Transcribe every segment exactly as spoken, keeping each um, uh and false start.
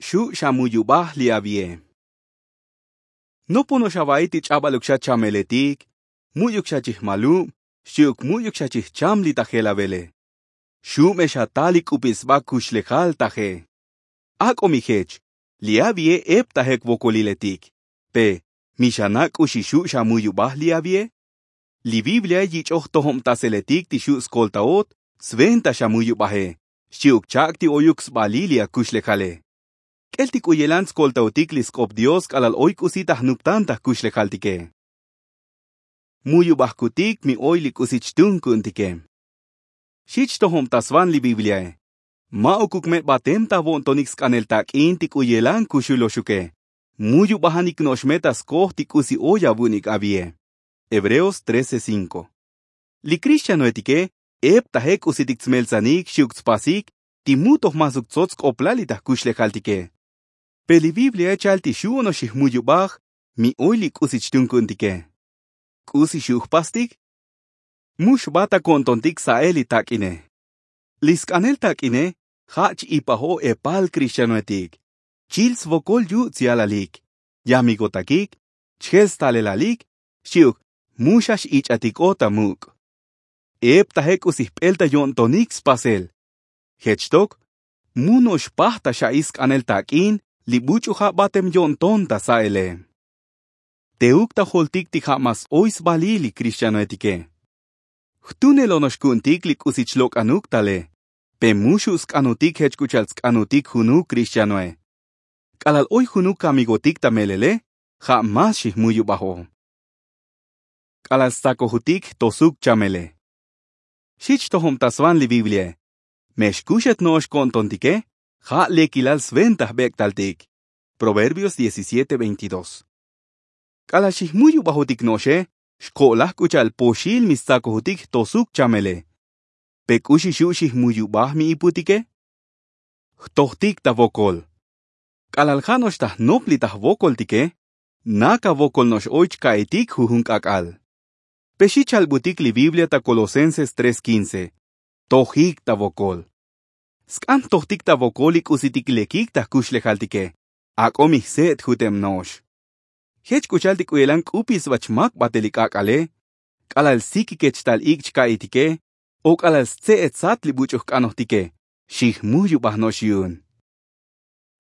xu' xamuyubaj li avie. Nopono'ox ava'i ti ch'abaluk xa chameletik, mu'yuk xa chijmalub, xchi'uk mu'yuk xa chijcham li ta jelavele. Xu' me xatal li k'upil sba kuxlejal taje. Ak'o mi jech li avie eptajek vokoliletik. Pe mi xana' k'uxi xu' xamuyubaj li avie? Li biblia yich'oj tojobtaseletik ti xu' skoltaot sventa xamuyubaje, xchi'uk chak' ti oyuk sbalil li akuxlejale. K'el ti k'u yelan tskoltaotik li sk'op dios k'alal oy k'usi ta jnuptan ta jkuxlejaltike. Muyubajkutik mi oy li k'usi chtun ku'untike. Xi chtojobta svan li bibliae. Ma'ukuk me batem ta avo'ntonik sk'anel tak'in ti k'u yelan kuxuloxuke. Muyubajanik no'ox me ta skoj ti k'usi oy avu'unik avie. Hebreos trece cinco. Li krixtianoetike eptaje k'usitik tsmeltsanik xchi'uk tspasik ti mu toj masuk tsots sk'oplal li ta jkuxlejaltike. Pe li bibliae chal ti xu' ono'ox xijmuyubaj mi oy li k'usi chtun ku'untike. K'usi xu' jpastik? Mu xbat ta ko'ntontik sa'el li tak'ine. Li sk'anel tak'ine ja' ch-ipajoj epal krixtianoetik. Chil svokol yu' tsyalalik, yamigotakik, chjel stalelalik, xchi'uk mu xa x'ich'atik'ot ta muk'. Eptaje k'usi jp'el ta yo'ntonik spasel. Jech tok mu no'ox paj ta xa'i sk'anel tak'in li buch'u ja' batem yo'nton ta sa'ele. Teuk ta joltik ti ja' mas oy sbalil li krixtianoetike. Jtunel ono'ox ku'untik li k'usi chlok'anuk tale. Pe mu xu' sk'anutik jech k'u cha'al tsk'anutik junuk krixtianoe. K'alal oy junuk kamigotik ta melele ja' mas xijmuyubajo. K'alal stsakojutik jtosuk chamele. Xi chtojobta svan li bibliae. Me xkuxet no'ox ko'ntontike ja' lekilal sventa jbek'taltik. Proverbios diecisiete veintidós. K'alal xijmuyubajotik no'oxe xko'laj k'u cha'al poxil mi stsakojutik jtosuk chamele. Pe k'uxi xu' xijmuyubaj mi iputike? Jtojtik ta vokol. K'alal ja' no'ox ta jnop li ta jvokoltike, na kavokol no'ox oy chka'itik jujun k'ak'al. Pe xi chalbutik li biblia ta kolosenses tres quince. Tojik ta vokol. Sk'an jtojtik ta vokol li k'usitik lekik ta jkuxlejaltike. Ak'o mi jse'et juteb no'ox. Jech k'u cha'al ti k'u yelan k'upil sba chmak batel li k'ak'ale, k'alal sikike chtal ik' chka'itike o k'alal stse'et sat li buch'u jk'anojtike, xijmuyubaj no'ox yu'un.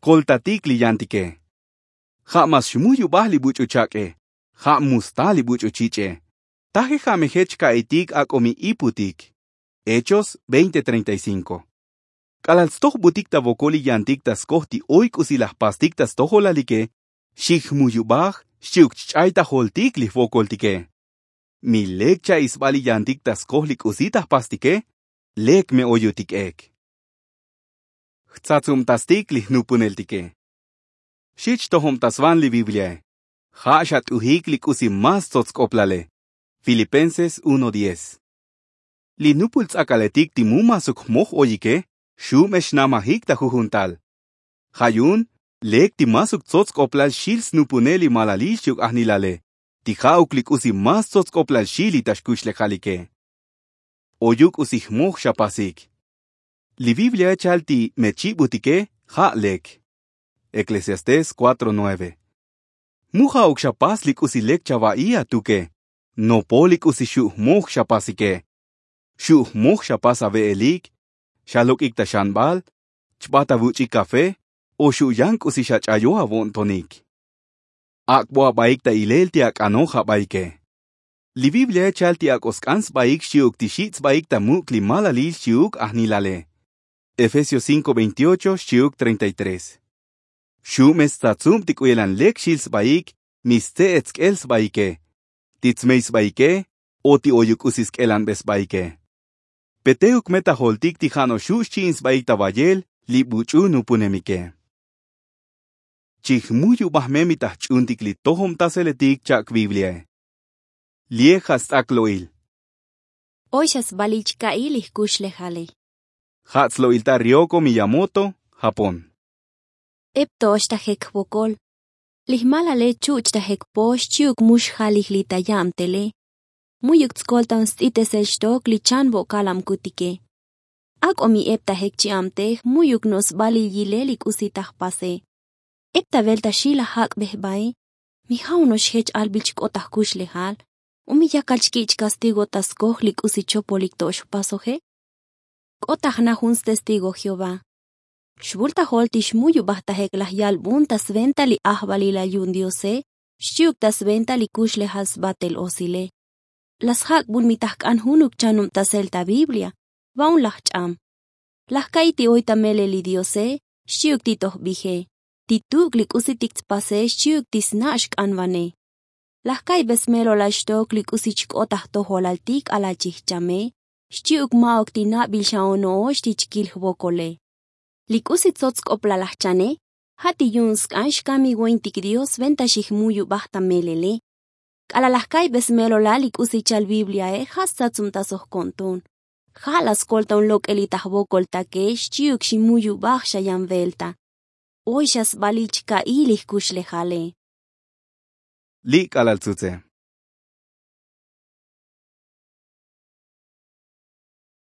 Koltatik li yantike. Ja' mas xmuyubaj li buch'u chak'e. Ja' mu sta li buch'u chich'e. Taje ja' me jech chka'itik ak'o mi iputik. Hechos veinte treinta y cinco. K'alal tstojbutik ta vokol li yantik ta skoj ti oy k'usi la jpastik ta stojolalike, xijmuyubaj xchi'uk chch'ay ta joltik li jvokoltike. Mi lek cha'i sba li yantik ta skoj li k'usi ta jpastike, lek me oyutik ek. Jtsatsubtastik li jnupuneltike. Xi chtojobta svan li bibliae. Ja' xat'ujik li k'usi más tsots sk'oplale. Filipenses uno diez. Li nupul ts'akaletik ti mu masuk jmoj oyike xu' me xnamajik ta jujun tal. Ja' yu'un lek ti masuk tsots sk'oplal xil snupunel li malalil xchi'uk ajnilale, ti ja'uk li k'usi más tsots sk'oplal xil li ta xkuxlejalike. Oyuk k'usi jmoj xapasik. Li bibliae chal ti me chibutike ja' lek. Eklesiastés cuatro nueve. Mu ja'uk xapas li k'usi lek chava'i atuke. Nopol li k'usi xu' jmoj xapasike. Xu' jmoj xapas ave'elik, xalok'ik ta xanbal, chbat avuch'ik kafe o xu' yan k'usi xach'ayo avo'ntonik. Ak'bo abaik ta ilel ti ak'anoj abaike. Li bibliae chal ti ak'o sk'an sbaik xchi'uk ti xich' sbaik ta muk' li malalil xchi'uk ajnilale. Efesios cinco veintiocho xchi'uk treinta y tres. Xu' me stsatsub ti k'u yelan lek xil sbaik mi stse'et sk'el sbaike, ti tsmey sbaike o ti oyuk k'usi sk'elanbe sbaike. Pe teuk me ta joltik ti ja' no'ox xu' xchi'in sbaik ta vayel li buch'u nupunemike. Chijmuyubaj me mi ta jch'untik li tojobtaseletik chak' bibliae. Li'e ja' sts'ak lo'il. Oy xa sbalil chka'il li jkuxlejale. Ja' tslo'il ta rioko miyamoto, japón. Ep to'ox ta jek jvokol. Li jmalale chuch' ta jek pox chi'uk mu xjalij li ta yabtele. Mu'yuk tskoltan st'itesel xtok li chan vo'kalabkutike. Ak'o mi ep ta jek chi'abtej mu'yuk no'ox sbalil yilel li k'usi ta jpase. Ep ta velta xi laj jak'bej bae. Mi ja' uno'ox jech albil chk'ot ta jkuxlejal. U mi yakal chki' chkastigo ta skoj li k'usi chopolik to ox jpasoje. K'ot ta jna jun stestigo jehová. Xvul ta jol ti xmuyubaj ta jek laj yalbun ta sventa li ajvalilal yu'un diose xchi'uk ta sventa li kuxlejal sbatel osile. La sjak'bun mi ta jk'an junuk chanubtasel ta biblia. Va'un laj ch'am. Laj ka'i ti oy ta melel li diose xchi'uk ti toj bije. Ti tuk' li k'usitik tspase xchi'uk ti sna' xk'anvane. Laj ka'ibe smelolal xtok li k'usi chk'ot ta jtojolal ti k'alal chijchame xchi'uk ma'uk ti nabil xa ono'ox ti chkil jvokole. Li k'usi tsots sk'oplal laj chane ja' ti yu'un sk'an xkamivointik dios venta xijmuyubaj ta melele. K'alal laj ka'ibe smelolal li k'usi chal bibliae ja' stsatsubtasoj ko'nton. Ja' la skolta un lok'eli ta jvokoltake xchi'uk ximuyubaj xa yan velta. Oy xa sbalil chka'i li jkuxlejale. Li' k'alal tsutse.